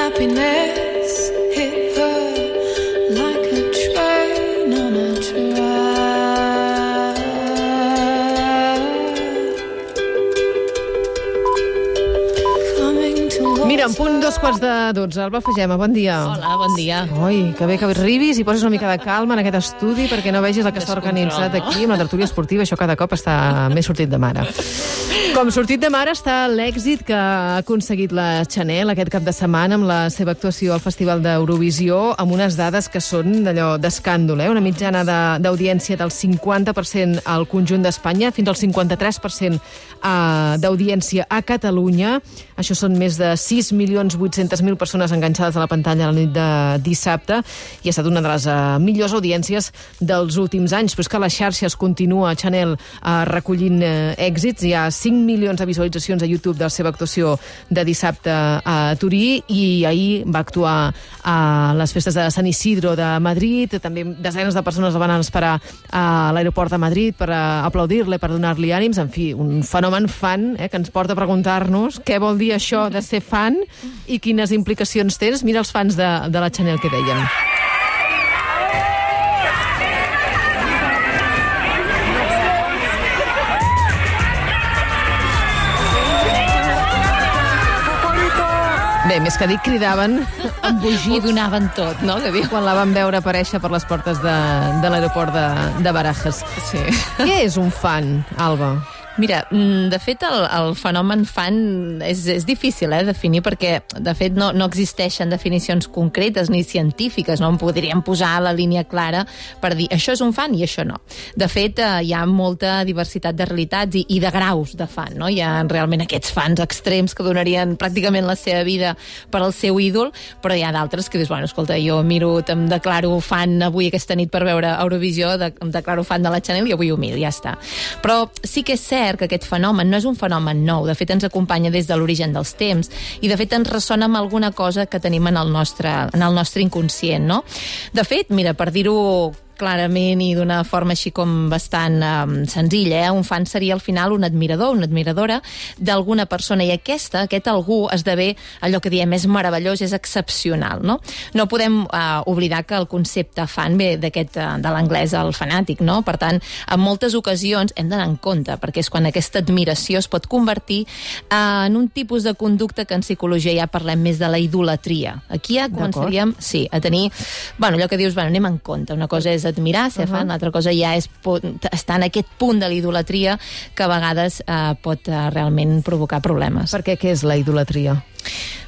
happiness hit her like a train on a track. Coming to Mira, en punt 2:15. Alba Fagema, bon dia. Hola, bon dia. Ui, que bé que arribis i poses una mica de calma en aquest estudi perquè no vegis el que està organitzat aquí amb la tertúlia esportiva. Això cada cop està més sortit de mare. Com sortit de mare està l'èxit que ha aconseguit la Chanel aquest cap de setmana amb la seva actuació al Festival d'Eurovisió, amb unes dades que són d'allò d'escàndol, una mitjana d'audiència del 50% al conjunt d'Espanya, fins al 53% d'audiència a Catalunya. Això són més de 6.800.000 persones enganxades a la pantalla la nit de dissabte i ha estat una de les millors audiències dels últims anys. Però és que a les xarxes continua Chanel recollint èxits. Hi ha 5 milions de visualitzacions a YouTube de la seva actuació de dissabte a Turí i ahir va actuar a les festes de Sant Isidro de Madrid. També desenes de persones la van esperar a l'aeroport de Madrid per aplaudir-la, per donar-li ànims. En fi, un fenomen fan que ens porta a preguntar-nos què vol dir això de ser fan i quines implicacions tens. Mira els fans de la Chanel que deien. Bé, més que dir, cridaven embogits. Ho donaven tot, no? Que diu. Quan la van veure aparèixer per les portes de l'aeroport de Barajas. Sí. Què és un fan, Alba? Mira, de fet, el fenomen fan és difícil definir perquè, de fet, no existeixen definicions concretes ni científiques, no en podríem posar la línia clara per dir això és un fan i això no. De fet, hi ha molta diversitat de realitats i de graus de fan, no? Hi ha realment aquests fans extrems que donarien pràcticament la seva vida per al seu ídol, però hi ha d'altres que dius, bueno, escolta, jo em declaro fan avui aquesta nit per veure Eurovisió, em declaro fan de la Chanel i avui ho miro, ja està. Però sí que és cert que aquest fenomen no és un fenomen nou, de fet ens acompanya des de l'origen dels temps i de fet ens ressona amb alguna cosa que tenim en el nostre inconscient, no? De fet, mira, per dir-ho clarament i d'una forma així com bastant senzilla, un fan seria al final un admirador, una admiradora d'alguna persona i aquest algú esdevé allò que diem és meravellós, és excepcional, no? No podem oblidar que el concepte fan ve de l'anglès el fanàtic, no? Per tant, en moltes ocasions hem d'anar en compte, perquè és quan aquesta admiració es pot convertir en un tipus de conducta que en psicologia ja parlem més de la idolatria. Aquí ja començaríem, a tenir, allò que dius, anem en compte, una cosa és admirar, ser fan, l'altra cosa ja és estar en aquest punt de la idolatria que a vegades pot realment provocar problemes. Per què és la idolatria?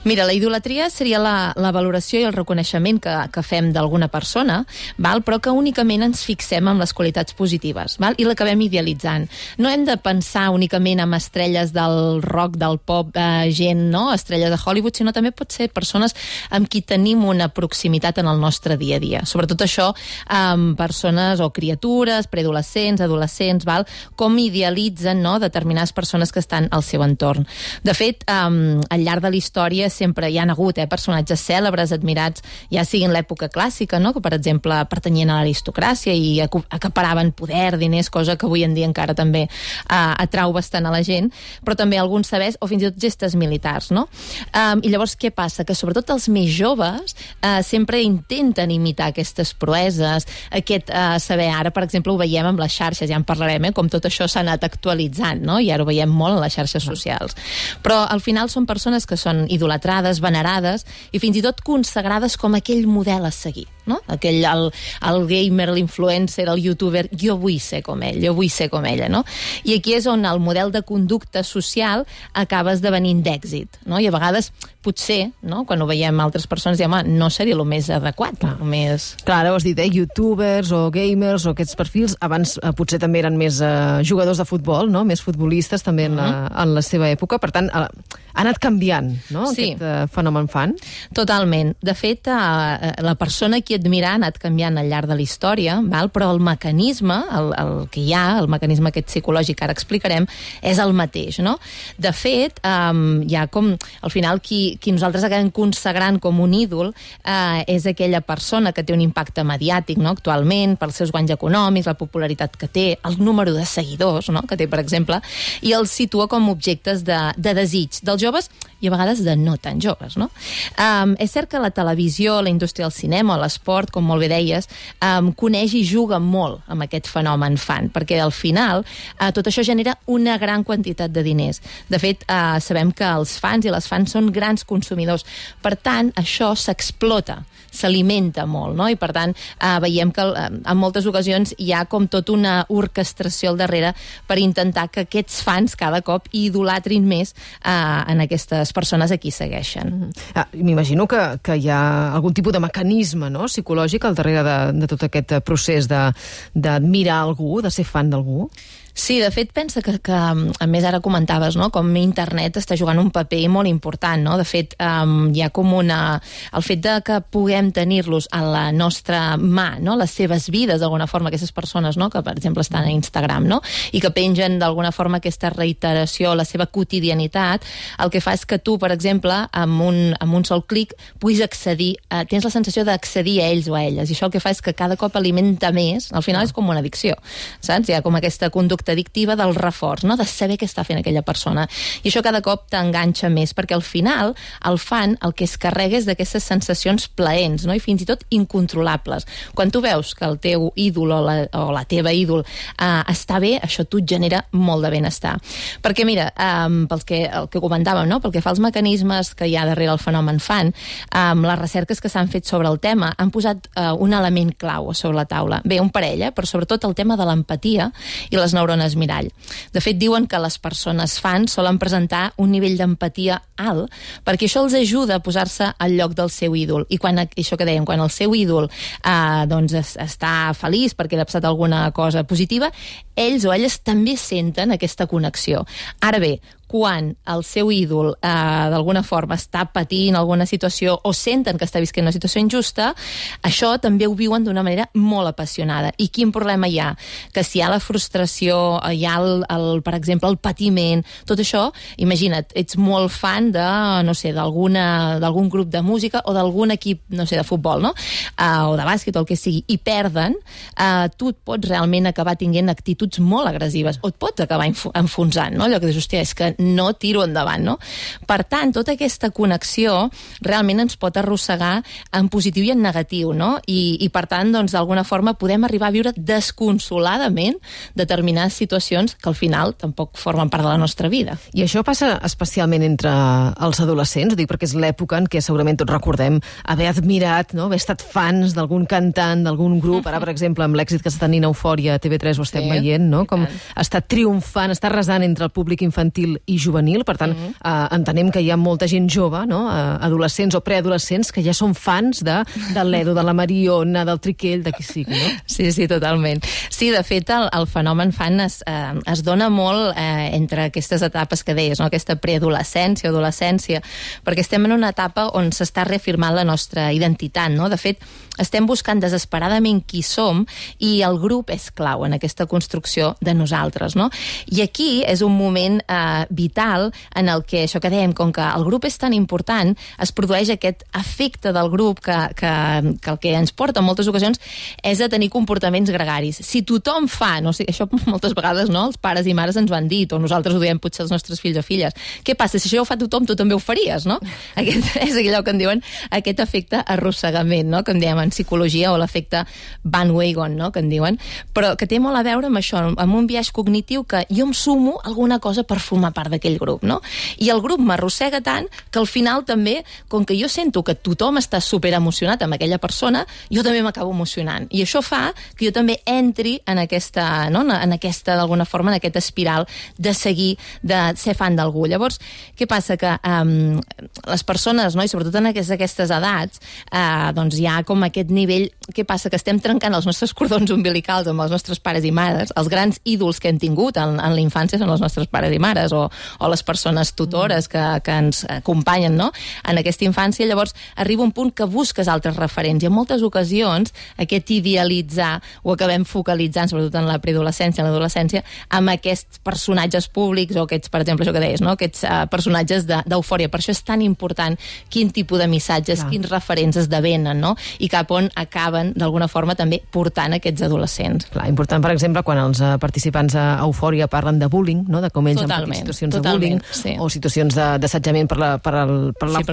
Mira, la idolatria seria la valoració i el reconeixement que fem d'alguna persona, però que únicament ens fixem en les qualitats positives i l'acabem idealitzant. No hem de pensar únicament en estrelles del rock, del pop, gent, no? Estrelles de Hollywood, sinó també pot ser persones amb qui tenim una proximitat en el nostre dia a dia. Sobretot això amb persones o criatures, preadolescents, adolescents, com idealitzen determinades persones que estan al seu entorn. De fet, al llarg de la història sempre hi ha hagut personatges cèlebres, admirats, ja siguin l'època clàssica, no? Que per exemple pertanyien a l'aristocràcia i acaparaven poder, diners, cosa que avui en dia encara també atrau bastant a la gent, però també alguns sabers o fins i tot gestes militars, no? I llavors què passa? Que sobretot els més joves sempre intenten imitar aquestes proeses, aquest saber, ara per exemple ho veiem amb les xarxes, ja en parlarem, com tot això s'ha anat actualitzant, no? I ara ho veiem molt en les xarxes socials. Però al final són persones que són idolatrades, venerades i fins i tot consagrades com aquell model a seguir, no? El gamer, l'influencer, el youtuber, jo vull ser com ell, jo vull ser com ella, no? I aquí és on el model de conducta social acaba esdevenint d'èxit, no? I a vegades, potser, no? Quan ho veiem altres persones, diem, no seria el més adequat, el més... Clar, ara ho has dit, youtubers o gamers o aquests perfils, abans potser també eren més jugadors de futbol, no? Més futbolistes també en la seva època, per tant, ha anat canviant, no? Sí. Aquest fenomen fan. Totalment. De fet, la persona qui admirar ha anat canviant al llarg de la història, però el mecanisme, el que hi ha, el mecanisme aquest psicològic que ara explicarem, és el mateix, no? De fet, hi ha com, al final, qui nosaltres acabem consagrant com un ídol és aquella persona que té un impacte mediàtic, no? Actualment, pels seus guanys econòmics, la popularitat que té, el número de seguidors, no? Que té, per exemple, i els situa com objectes de desig dels joves i a vegades de no tan joves, no? És cert que la televisió, la indústria del cinema o l'esport, com molt bé deies, coneix i juga molt amb aquest fenomen fan, perquè al final tot això genera una gran quantitat de diners. De fet, sabem que els fans i les fans són grans consumidors. Per tant, això s'explota, s'alimenta molt, no? I per tant, veiem que en moltes ocasions hi ha com tota una orquestració al darrere per intentar que aquests fans cada cop idolatrin més en aquestes persones a qui segueixen. M'imagino que hi ha algun tipus de mecanisme, no?, psicològic al darrere de tot aquest procés d'admirar algú, de ser fan d'algú. Sí, de fet, pensa que a més ara comentaves, no?, com internet està jugant un paper molt important, no? De fet, hi ha com el fet de que puguem tenir-los a la nostra mà, no?, les seves vides, d'alguna forma, aquestes persones, no?, que, per exemple, estan a Instagram, no?, i que pengen, d'alguna forma, aquesta reiteració, la seva quotidianitat, el que fa és que tu, per exemple, amb un sol clic, puguis accedir, tens la sensació d'accedir a ells o a elles, i això el que fa és que cada cop alimenta més, al final és com una addicció, saps? Hi ha com aquesta conducta addictiva del reforç, no?, de saber què està fent aquella persona. I això cada cop t'enganxa més, perquè al final el fan el que es carrega és d'aquestes sensacions plaents, no?, i fins i tot incontrolables. Quan tu veus que el teu ídol o la teva ídol està bé, això tu et genera molt de benestar. Perquè mira, el que comentàvem, no?, pel que fa als mecanismes que hi ha darrere el fenomen fan, les recerques que s'han fet sobre el tema han posat un element clau sobre la taula. Bé, un parell, però sobretot el tema de l'empatia i les neurones mirall. De fet, diuen que les persones fans solen presentar un nivell d'empatia alt, perquè això els ajuda a posar-se al lloc del seu ídol. I això que dèiem, quan el seu ídol està feliç perquè li ha passat alguna cosa positiva, ells o elles també senten aquesta connexió. Ara bé, quan el seu ídol d'alguna forma està patint alguna situació o senten que està visquent una situació injusta, això també ho viuen d'una manera molt apassionada. I quin problema hi ha? Que si hi ha la frustració, hi ha, per exemple, el patiment, tot això, imagina't, ets molt fan de, no sé, d'algun grup de música o d'algun equip, no sé, de futbol, no? O de bàsquet o el que sigui, i perden, tu et pots realment acabar tinguent actituds molt agressives, o et pots acabar enfonsant, no? Allò que dius, hòstia, és que no tiro endavant, no? Per tant, tota aquesta connexió realment ens pot arrossegar en positiu i en negatiu, no? I per tant, doncs, d'alguna forma podem arribar a viure desconsoladament determinades situacions que al final tampoc formen part de la nostra vida. I això passa especialment entre els adolescents, ho dic perquè és l'època en què segurament tots recordem haver admirat, no?, haver estat fans d'algun cantant, d'algun grup, ara, per exemple, amb l'èxit que està tenint Eufòria a TV3 ho estem veient, no?, com està triomfant, està arrasant entre el públic infantil i juvenil, per tant, entenem que hi ha molta gent jove, no?, adolescents o preadolescents, que ja són fans del Ledo, de la Mariona, del Triquell, de qui sigui, no? Sí, totalment. Sí, de fet, el fenomen fan es dona molt entre aquestes etapes que deies, no?, aquesta preadolescència o adolescència, perquè estem en una etapa on s'està reafirmant la nostra identitat, no? De fet, estem buscant desesperadament qui som i el grup és clau en aquesta construcció de nosaltres, no? I aquí és un moment vital en el que, això que dèiem, com que el grup és tan important, es produeix aquest efecte del grup que el que ens porta en moltes ocasions és a tenir comportaments gregaris. Si tothom fa, no sé, això moltes vegades, no?, els pares i mares ens ho han dit, o nosaltres ho diem potser als nostres fills o filles. Què passa? Si això ho fa tothom, tu també ho faries, no? Aquest és allò que en diuen aquest efecte arrossegament, no?, que en diem en psicologia, o l'efecte bandwagon, no?, que en diuen, però que té molt a veure amb això, amb un biaix cognitiu que jo em sumo alguna cosa per formar part d'aquell grup, no? I el grup m'arrossega tant que al final també, com que jo sento que tothom està superemocionat amb aquella persona, jo també m'acabo emocionant. I això fa que jo també entri en aquesta, no?, en aquesta, d'alguna forma, en aquesta espiral de seguir, de ser fan d'algú. Llavors, què passa? Que les persones, no?, i sobretot en aquestes edats, doncs hi ha com aquest nivell què passa? Que estem trencant els nostres cordons umbilicals amb els nostres pares i mares. Els grans ídols que hem tingut en la infància són els nostres pares i mares, o les persones tutores que ens acompanyen, no?, en aquesta infància. Llavors arriba un punt que busques altres referents, i en moltes ocasions aquest idealitzar ho acabem focalitzant, sobretot en la preadolescència, en l'adolescència, amb aquests personatges públics, o aquests, per exemple, això que deies, no?, aquests personatges d'eufòria. Per això és tan important quin tipus de missatges, quins referents esdevenen, no?, i cap on acaben, d'alguna forma, també portant aquests adolescents. Clar, important, per exemple, quan els participants a Eufòria parlen de bullying, no?, de com ells han patit situacions de bullying, o situacions d'assetjament pel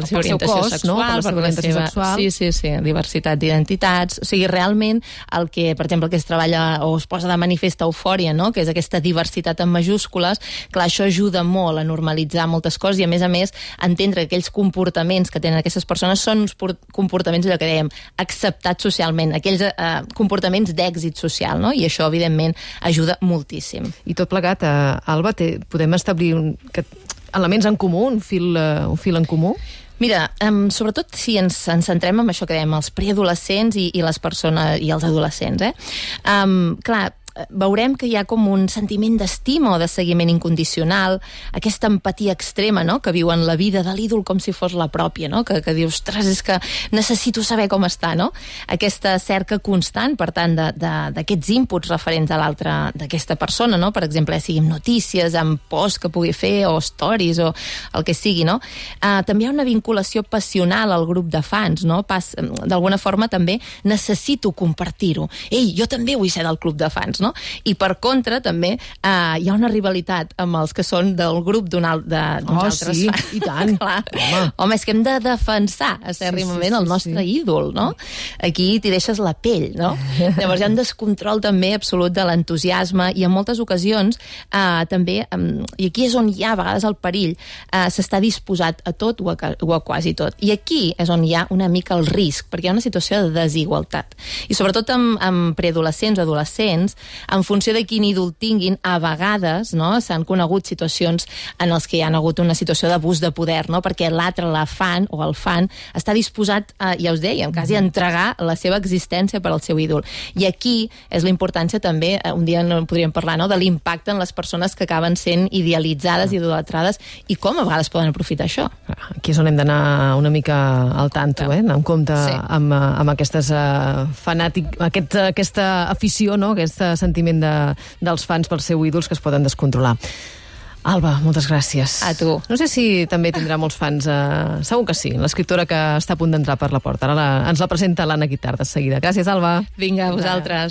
seu cos, no?, per la seva orientació sexual. Sí, diversitat d'identitats. O sigui, realment, el que, per exemple, que es treballa o es posa de manifest a Eufòria, no?, que és aquesta diversitat en majúscules, clar, això ajuda molt a normalitzar moltes coses, i a més, entendre que aquells comportaments que tenen aquestes persones són uns comportaments, allò que dèiem, acceptats socialment, aquells comportaments d'èxit social, no?, i això, evidentment, ajuda moltíssim. I tot plegat, Alba, podem establir elements en comú, un fil en comú? Mira, sobretot si ens centrem en això que dèiem, els preadolescents i les persones i els adolescents, clar, veurem que hi ha com un sentiment d'estima o de seguiment incondicional, aquesta empatia extrema, no?, que viuen la vida de l'ídol com si fos la pròpia, no?, que dius, ostres, és que necessito saber com està, no? Aquesta cerca constant, per tant, d'aquests inputs referents a l'altre, d'aquesta persona, no?, per exemple, siguin notícies, amb posts que pugui fer, o stories, o el que sigui, no? També hi ha una vinculació passional al grup de fans, no? D'alguna forma també necessito compartir-ho. Ei, jo també vull ser del club de fans, no? I per contra també hi ha una rivalitat amb els que són del grup d'uns altres fans. I tant. Home, és que hem de defensar acèrrimament el nostre ídol, no? Aquí t'hi deixes la pell, no? Llavors hi ha un descontrol també absolut de l'entusiasme, i en moltes ocasions també, i aquí és on hi ha a vegades el perill, s'està disposat a tot o a quasi tot. I aquí és on hi ha una mica el risc, perquè hi ha una situació de desigualtat. I sobretot amb preadolescents o adolescents, en funció de quin ídol tinguin, a vegades, no?, s'han conegut situacions en els que hi ha hagut una situació d'abús de poder, no?, perquè l'altre, la fan o el fan, està disposat, ja us dèiem, quasi a entregar la seva existència per al seu ídol. I aquí és la importància també, un dia no podríem parlar, no?, de l'impacte en les persones que acaben sent idealitzades i idolatrades, i com a vegades poden aprofitar això. Aquí és on hem d'anar una mica al tanto, anar en compte amb aquestes aquesta afició, no?, aquest sentiment dels fans pels seus ídols que es poden descontrolar. Alba, moltes gràcies. A tu. No sé si també tindrà molts fans, segur que sí, l'escriptora que està a punt d'entrar per la porta. Ara ens la presenta l'Anna Guitart de seguida. Gràcies, Alba. Vinga, a vosaltres.